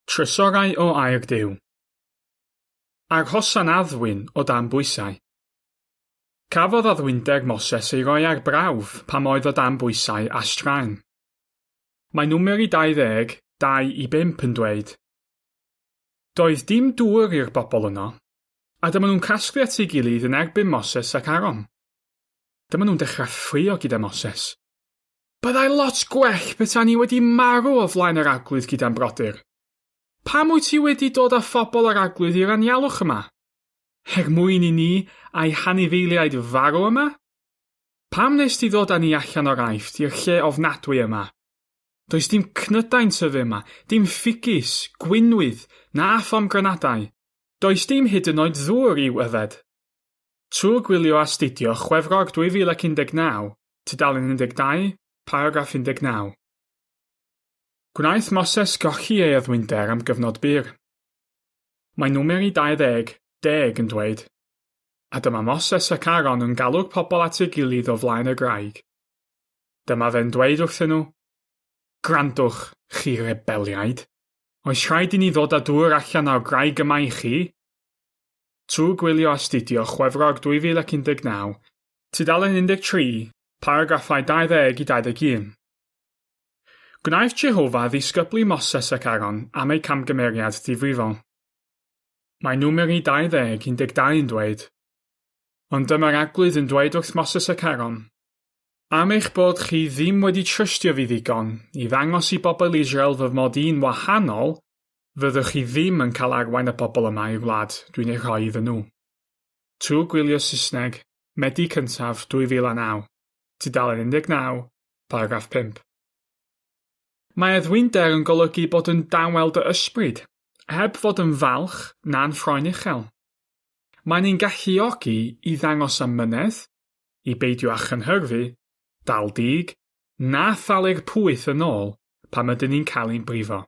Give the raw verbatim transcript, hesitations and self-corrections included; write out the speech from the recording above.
Trysorau o Air Duw. Arhosa'n addfwyn o dan bwysau. Cafodd addfwynder Moses ei roi ar brawf pam oedd o dan bwysau a straen. Mae Numeri dau ddeg, dau i bump yn dweud, Doedd dim dŵr i'r bobl yno, a dyma nhw'n casglu at ei gilydd yn erbyn Moses ac Aaron. Dyma nhw'n dechrau ffrio gyda Moses. Byddai lot gwell petai ni wedi marw o flaen yr Arglwydd gyda'n brodyr. Pam wyt ti wedi dod â phobl yr Arglwydd i'r anialwch yma? Er mwyn i ni a'i hanifeiliaid farw yma? Pam nes ti ddod â ni allan o'r Aifft i'r lle ofnadwy yma? Does dim cnydau'n tyfu yma, dim ffigys, gwinwydd, na phomgranadau. Does dim hyd yn oed ddŵr i'w yfed. Trwy gwylio astudio Chwefror dwy fil ac un deg naw, tudalen un deg dau, paragraff un deg naw. Gwnaeth Moses golli ei addfwynder am gyfnod byr. Mae Numeri dau ddeg, deg yn dweud, a dyma Moses ac Aaron yn galw'r pobl at ei gilydd o flaen y graig. Dyma fe'n dweud wrthyn nhw, Gwrandwch, chi rebeliaid. Oes rhaid i ni ddod â dŵr allan o'r graig yma i chi? Trwy gwylio astudio Chwefror dwy fil ac un deg naw, tudalen un deg tri, paragraffau dau ddeg i dau ddeg un. Gwnaeth Jehofa ddisgyblu Moses ac Aaron am eu camgymeriad difrifol. Mae Numeri dau ddeg un deg dau yn dweud, Ond dyma'r Arglwydd yn dweud wrth Moses ac Aaron, Am eich bod chi ddim wedi trystio fi ddigon i ddangos i bobl Israel fy mod i'n wahanol, fyddwch chi ddim yn cael arwain y bobl yma i'r wlad dwi'n ei rhoi iddyn nhw. Trwy gwylio Saesneg, Medi cyntaf dwy fil a naw, tudalen un deg naw, paragraff pump. Mae addfwynder yn golygu bod yn dawel dy ysbryd, heb fod yn falch na'n ffroen uchel. Mae'n ein galluogi i ddangos amynedd, i beidio â chynhyrfu, dal dig, na thalu'r pwyth yn ôl pan ydyn ni'n cael ein brifo.